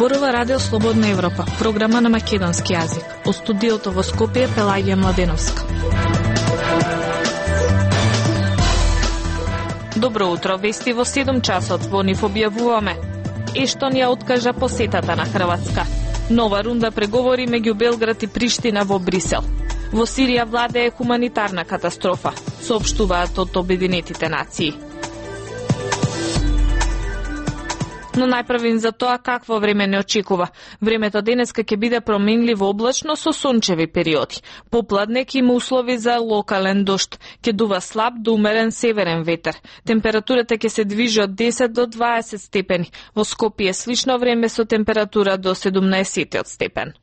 Зборува Радио Слободна Европа, програма на македонски јазик. Од студиото во Скопје Пелагија Младеновска. Добро утро, вести во 7 часот во нив објавуваме. Ештонија откажа посетата на Хрватска. Нова рунда преговори меѓу Белград и Приштина во Брисел. Во Сирија владее хуманитарна катастрофа, соопштуваат од Обединетите нации. Но најпрвим за тоа какво време не очекува. Времето денеска ќе биде променливо облачно со сончеви периоди. Попладнек има услови за локален дожд. Ќе дува слаб до умерен северен ветер. Температурата ќе се движи од 10 до 20 степени. Во Скопје слично време со температура до 17 степен.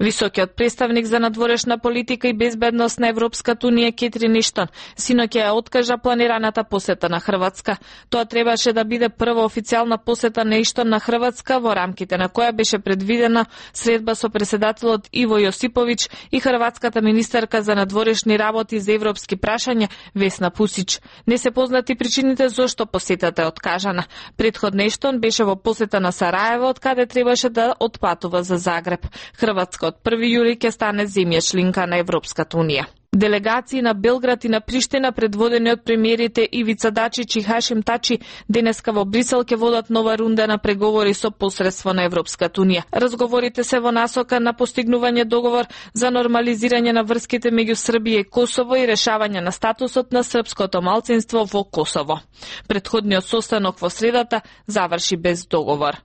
Високиот представник за надворешна политика и безбедност на Европската унија Кетрин Ештон синоќа ја откажа планираната посета на Хрватска. Тоа требаше да биде прва официјална посета на Ештон на Хрватска, во рамките на која беше предвидена средба со претседателот Иво Јосиповиќ и хрватската министерка за надворешни работи за европски прашања Весна Пусич. Не се познати причините зошто посетата е откажана. Претходно Ештон беше во посета на Сараево, од каде требаше да отпатува за Загреб. Хрватска од 1 јули ќе стане земја членка на Европската унија. Делегации на Белград и на Приштина, предводени од премиерите Ивица Дачич и Хашим Тачи, денеска во Брисел ќе водат нова рунда на преговори со посредство на Европската унија. Разговорите се во насока на постигнување договор за нормализирање на врските меѓу Србија и Косово и решавање на статусот на српското малцинство во Косово. Претходниот состанок во средата заврши без договор.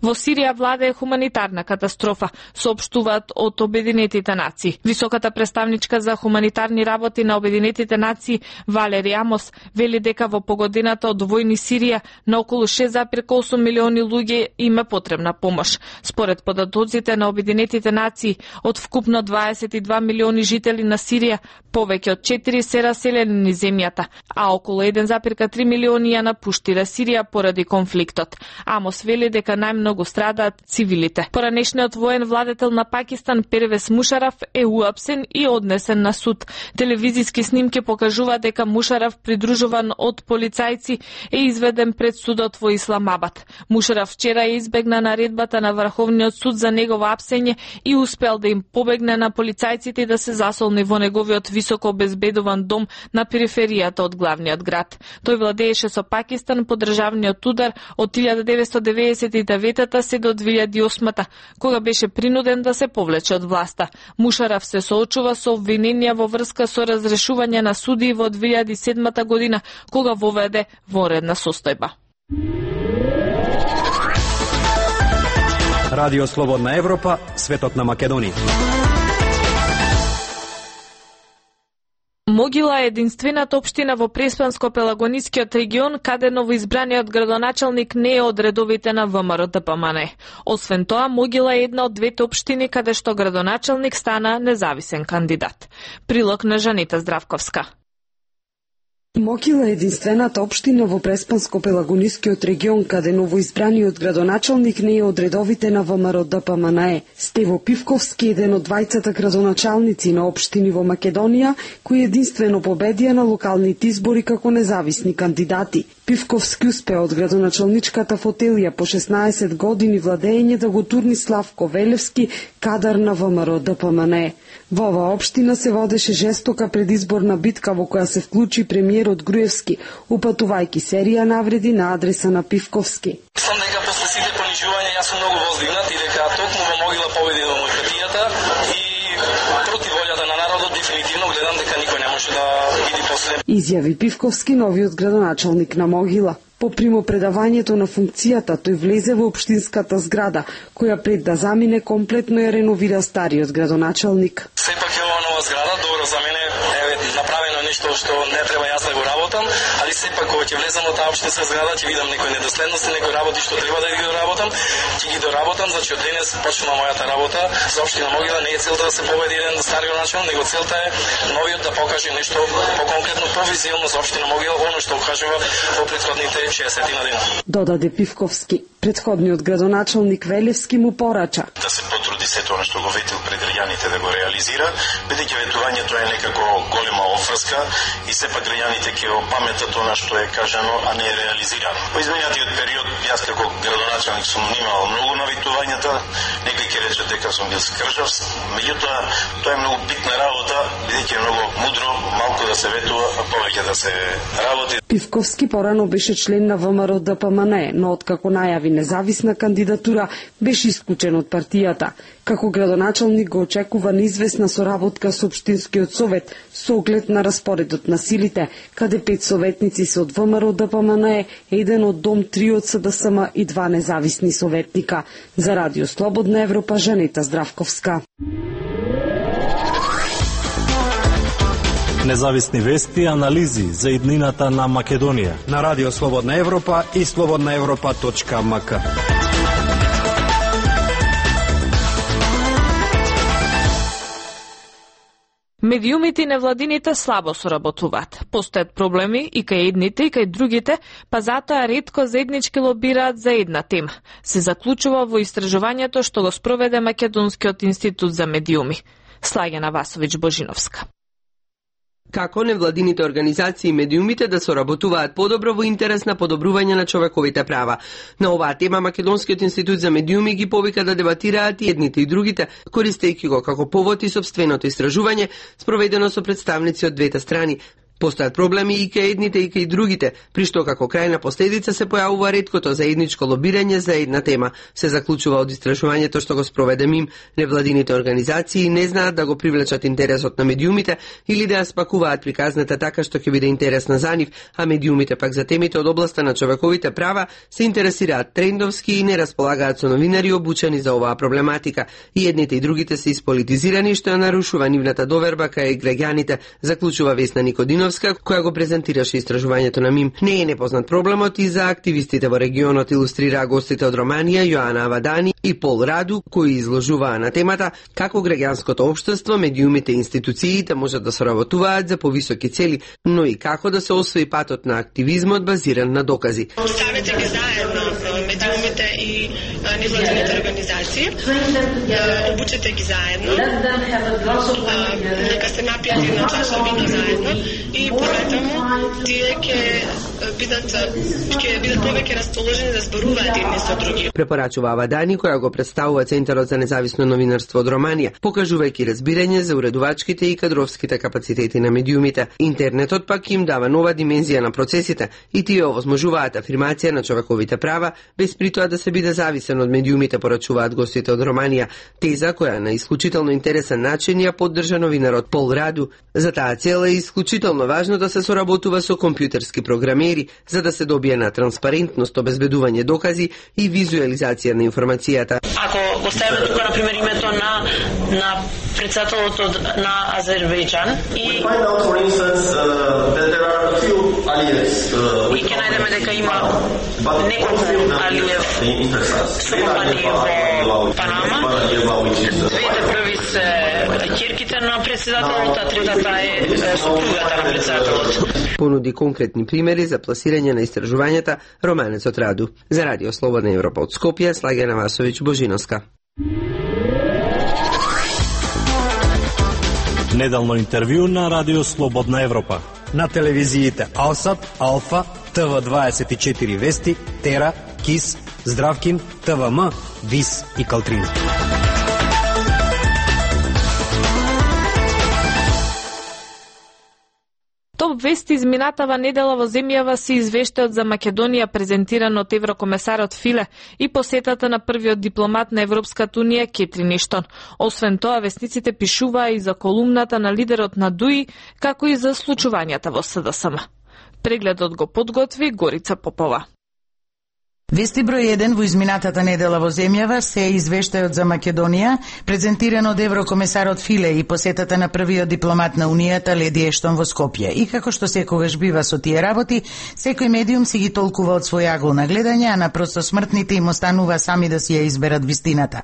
Во Сирија владее хуманитарна катастрофа, соопштуваат од Обединетите нации. Високата представничка за хуманитарни работи на Обединетите нации Валери Амос вели дека во погодената од војни Сирија на околу 6,8 милиони луѓе има потребна помош. Според податоците на Обединетите нации, од вкупно 22 милиони жители на Сирија, повеќе од 4 се раселени низ земјата, а околу 1,3 милиони ја напуштира Сирија поради конфликтот. Амос вели дека најмногу страдаат цивилите. Поранешниот воен владетел на Пакистан Первез Мушараф е уапсен и однесен на суд. Телевизиски снимки покажуваат дека Мушараф, придружуван од полицајци, е изведен пред судот во Исламабад. Мушараф вчера ја избегна наредбата на Врховниот суд за негово апсење и успел да им побегне на полицајците да се засолни во неговиот високо обезбедуван дом на периферијата од главниот град. Тој владееше со Пакистан по државниот удар од 1999 се до 2008, кога беше принуден да се повлече од власта. Мушараф се соочува со обвиненија во врска со разрешување на суди во 2007 година, кога воведе вонредна состојба. Радио Слободна Европа, светот на Македонија. Могила е единствената општина во Преспанско-Пелагонискиот регион каде новоизбраниот градоначалник не е од редовите на ВМРО-ДПМН. Освен тоа, Могила е една од двете општини каде што градоначалник стана независен кандидат. Прилог на Жанета Здравковска. Могила е единствената општина во Преспанско-Пелагонискиот регион каде новоизбраниот градоначалник не е од редовите на ВМРО-ДПМН. Стево Пивковски е еден од двајцата градоначалници на општини во Македонија кои единствено победија на локалните избори како независни кандидати. Пивковски успеа од градоначалничката фотелија по 16 години владење да го турни Славко Велевски, кадар на ВМРО-ДПМН. Во оваа општина се водеше жестока предизборна битка во која се вклучи премиерот Груевски, упатувајќи серија навреди на адреса на Пивковски. Мислам дека после сите понижувања јас сум многу воздигнат и дека токму во Могила победи демократијата и против волјата на народот дефинитивно гледам дека никој не може да биде после. Изјави Пивковски, новиот градоначалник на Могила. По примопредавањето на функцијата, тој влезе во општинската зграда, која пред да замине комплетно ја реновира стариот градоначалник. Сепак е ова нова зграда, добро за мене е направено нешто што не треба јас да го работам, али сепак кога ќе влезам во таа општинска зграда ќе видам некои недоследности, некои работи што треба да ги доработам, ќе ги доработам, значи од денес почнува мојата работа. За општина Могила не е целта да се победи еден стари градоначалник, него целта е новиот да покаже нешто поконкретно, провизионно за општина Могила, оно што кажува во претходните 60 на дена. Додаде Пивковски. Предходниот градоначалник Велевски му порача да се потруди се тоа што го ветил пред граѓаните да го реализира, бидејќи ветувањето е некако голема офрска и сепак граѓаните ќе опаметат тоа што е кажано, а не е реализирано. Во изминатиот период јас како градоначалник сум внимавал многу на ветувањата, некој ќе рече дека сум бил скржав, меѓутоа тоа е многу битна работа, бидејќи е многу мудро малку да се ветува, а повеќе да се работи. Пивковски порано беше член на ВМРО ДПМН, но откако најави независна кандидатура, беше исклучен од партијата. Како градоначалник го очекува неизвестна соработка со Општинскиот совет со оглед на распоредот на силите, каде 5 советници се од ВМРО ДПМН, 1 од Дом, 3 од СДСМ и 2 независни советника. За Радио Слободна Европа, Жанета Здравковска. Независни вести и анализи за иднината на Македонија на Радио Слободна Европа и slobodnaevropa.mk. Медиумите и невладините слабо соработуваат. Постојат проблеми и кај едните и кај другите, па затоа ретко заеднички лобираат за една тема. Се заклучува во истражувањето што го спроведе Македонскиот институт за медиуми. Слагена Васовиќ Божиновска. Како невладините организации и медиумите да соработуваат подобро во интерес на подобрување на човековите права. На оваа тема Македонскиот институт за медиуми ги повика да дебатираат и едните и другите, користејќи го како повод и сопственото истражување спроведено со представници од двете страни. Постојат проблеми и кај едните и кај другите, при што како крајна последица се појавува реткото заедничко лобирање за една тема. Се заклучува од истражувањето што го спроведе МИМ. Невладините организации не знаат да го привлечат интересот на медиумите или да ја спакуваат приказната така што ќе биде интересна за нив, а медиумите пак за темите од областа на човековите права се интересираат трендовски и не располагаат со новинари обучени за оваа проблематика. И едните и другите се исполитизирани што ја нарушува нивната доверба кај граѓаните, заклучува Весна Никодиновска, која го презентираше истражувањето на МИМ. Не е непознат проблемот и за активистите во регионот, илустрираа гостите од Романија, Јоана Авадани и Пол Раду, кои изложуваа на темата како граѓанското општество, медиумите и институциите можат да соработуваат за повисоки цели, но и како да се освои патот на активизмот базиран на докази. Ставете ги заедно медиумите и невладините организации, обучете ги заедно, нека се напијат една чаша вино заедно и пометамо тие ќе бидат повеќе расположени да зборуваат едни со други. Препорачува Авадани, која го представува Центарот за независно новинарство од Романија, покажувајќи разбирање за уредувачките и кадровските капацитети на медиумите. Интернетот пак им дава нова димензија на процесите и тие овозможуваат афирмација на човековите права, без при тоа да се биде зависен од медиумите, порачуваат гостите од Романија. Теза која на исклучително интересен начин ја поддржа новинарот Пол Раду. За таа цел е исклучително важно да се соработува со компјутерски програмери, за да се добие на транспарентност, обезбедување докази и визуализација на информацијата. Ако го ставиме тука, например, името на председателот на Азербејџан и ќе најдеме дека има неколку Алиев со компании во Панама. Двете први се ќерките на председателот, а третата е сопругата на председателот. Понуди конкретни примери за пласирање на истражувањата романецот Раду. За Радио Слободна Европа од Скопје, Слагена Васовиќ Божиновска. Неделно интервју на Радио Слободна Европа. На телевизиите Алсат, Алфа, ТВ24 Вести, Тера, КИС, Здравкин, ТВМ, ВИС и Калтрина. Топ вести изминатава недела во земјава се извештаат за Македонија презентиран од еврокомесарот Филе и посетата на првиот дипломат на Европската унија Кетрин Иштон. Освен тоа, вестниците пишуваа и за колумната на лидерот на ДУИ, како и за случувањата во СДСМ. Прегледот го подготви Горица Попова. Вести број 1 во изминатата недела во земјава се извештајот за Македонија, презентиран од еврокомесарот Филе и посетата на првиот дипломат на Унијата Леди Ештон во Скопје. И како што секогаш бива со тие работи, секој медиум си ги толкува од свој агол на гледање, а на просто смртните им останува сами да си ја изберат вистината.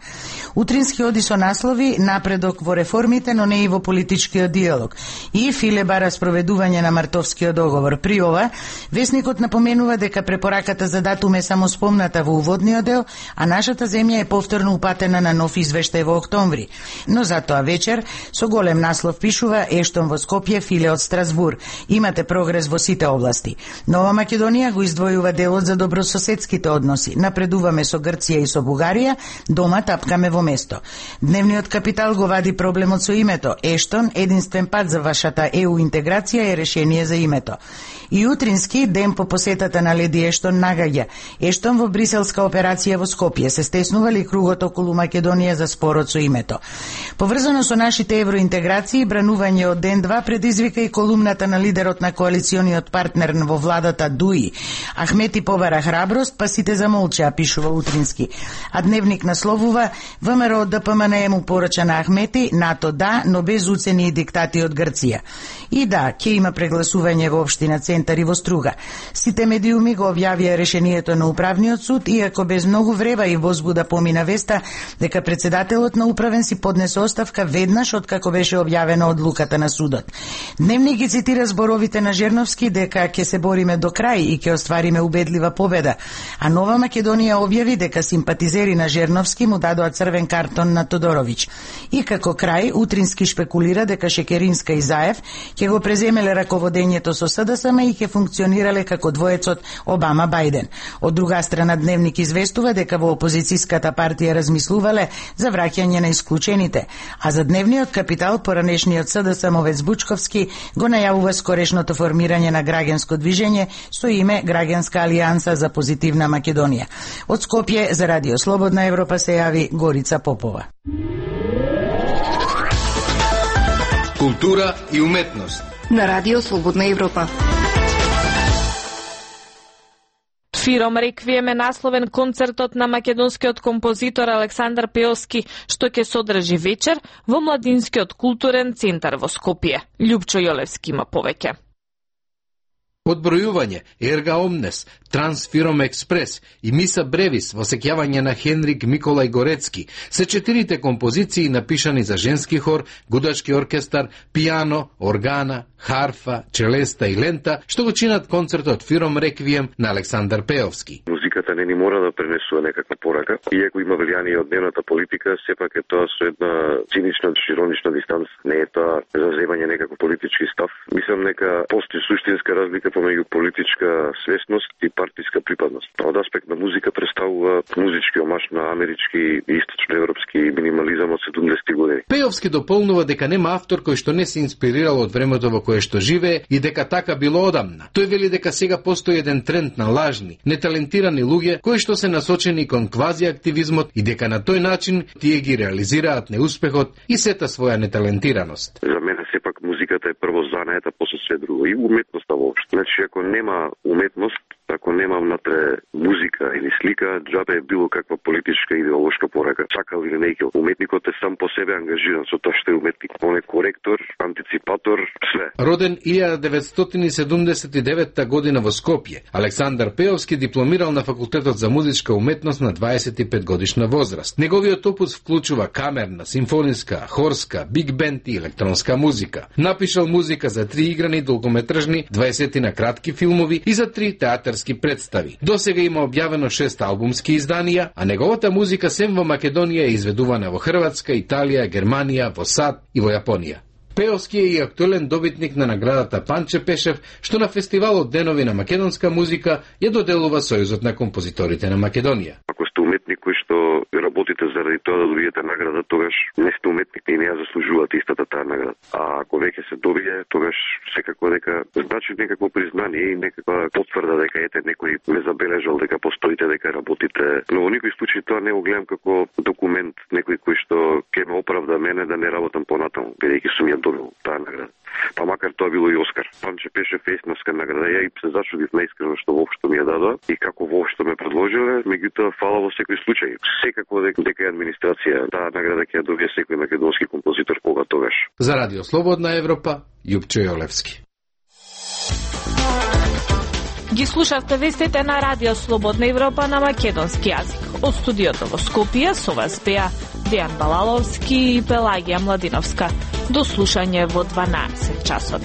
Утрински оди со наслови напредок во реформите, но не и во политичкиот диалог. И Филе бара спроведување на Мартовскиот договор. При ова, весникот напоменува дека препораката за датум е само спомната во уводниот дел, а нашата земја е повторно упатена на нов извештај во октомври. Но затоа вечер со голем наслов пишува Ештон во Скопје, Филе од Страсбур. Имате прогрес во сите области. Нова Македонија го издвојува делот за добрососедските односи. Напредуваме со Грција и со Бугарија, дома тапкаме во место. Дневниот капитал го вади проблемот со името. Ештон, единствен пат за вашата ЕУ интеграција е решение за името. И утрински, ден по посетата на леди Ештон нагаѓа. Ештон во бриселска операција во Скопје се стеснува ли кругот околу Македонија за спорот со името. Поврзано со нашите евроинтеграции, бранување од ден 2 предизвика и колумната на лидерот на коалициониот партнер во владата Дуи. Ахмети побара храброст, па сите замолчаа, пишува утрински. А дневник насловува ВМРО ДПМН му порача на Ахмети, НАТО да, но без уцени и диктати од Грција. И да, ќе има прегласување во општина Центар и во Струга. Сите медиуми го објавија решението на управниот суд, иако без многу врева и возбуда помина веста дека председателот на управен си поднесе оставка веднаш откако беше објавена одлуката на судот. Дневник ги цитира зборовите на Жерновски дека ќе се бориме до крај и ќе оствариме убедлива победа, а Нова Македонија објави дека симпатизери на Жерновски му дадоа црвен картон на Тодоровиќ. И како крај, утрински шпекулира дека Шекеринска и Заев ќе го преземеле раководењето со СДСМ и ќе функционирале како двоецот Обама-Бајден. Од друга страна, Дневник известува дека во опозицијската партија размислувале за враќање на исклучените, а за Дневниот капитал поранешниот СДСМ овец Бучковски го најавува скорешното формирање на граѓанско движење со име Граѓанска алијанса за позитивна Македонија. Од Скопје за Радио Слободна Европа се јави Горица Попова. Култура и уметност на Радио Слободна Европа. Фиром Реквием е насловен концертот на македонскиот композитор Александар Пеовски, што ќе содржи вечер во Младинскиот културен центар во Скопје. Љупчо Јолевски има повеќе. Одбројување, Ерга Омнес, Трансфиром Експрес и Миса Бревис во сеќавање на Хенрик Миколај Горецки се 4 композиции напишани за женски хор, гудачки оркестар, пијано, органа, харфа, челеста и лента, што го чинат концертот Фиром Реквием на Александар Пеовски. Музиката не ни мора да пренесува некаква порака, иако има влијание од дневната политика, сепак е тоа со една цинична, иронична дистанца. Не е тоа за земање некаков политички став. Мислам дека постои суштинска разлика помеѓу политичка свесност и партиска припадност. Од аспект на музика представува музички омаш на амерички и источноевропски минимализам од 70-ти години. Пеовски дополнува дека нема автор кој што не се инспирирал од времето во кое што живее и дека така било одамна. Тој вели дека сега постои еден тренд на лажни, неталентирани луѓе кои што се насочени кон квази активизмот и дека на тој начин тие ги реализираат неуспехот и сета своја неталентираност. За мене сепак музиката е прво занаета, после се друго и уметноста воопшто. Значи, ако нема уметност, ако нема внатре музика или слика, џабе е било каква политичка идеолошка порака. Сакал или не, уметникот е сам по себе ангажиран со тоа што е уметник. Он е коректор, антиципатор, све. Роден 1979 година во Скопје, Александар Пеовски дипломирал на факултетот за музичка уметност на 25 годишна возраст. Неговиот опус вклучува камерна, симфониска, хорска, биг бенд и електронска музика. Напишал музика за 3 играни долгометражни, 20 на кратки филмови и за 3 театарски представи. Досега има објавено 6 албумски изданија, а неговата музика сем во Македонија е изведувана во Хрватска, Италија, Германија, во САД и во Јапонија. Пеовски е и актуелен добитник на наградата Панче Пешев, што на фестивалот Денови на македонска музика ја доделува Сојузот на композиторите на Македонија. Ако сте уметник кој што работите заради тоа да добиете награда, тогаш не сте уметник и не ја заслужувате истата таа награда. А ако веќе се добие, тогаш секако дека значи некакво признание и некаква потврда дека ете некој ме забележал дека постоите, дека работите. Но во никој случај тоа не го гледам како документ, некој кој што ќе ме оправда мене да не работам понатаму, бидејќи сум ја добил таа награда. Па макар тоа било и Оскар. Панче Пешев есновска награда. Ја и се зачудив наискрено што воопшто ми ја дадоа и како воопшто ме предложиле, меѓутоа фала во секој случај. Секако дека е администрација, таа награда ќе ја добие секој македонски композитор кога тогаш. За Радио Слободна Европа, Љупчо Јолевски. Ги слушавте вестите на Радио Слободна Европа на македонски јазик. Од студиото во Скопје со вас беа Дејан Балаловски и Пелагија Младиновска. До слушање во 12 часот.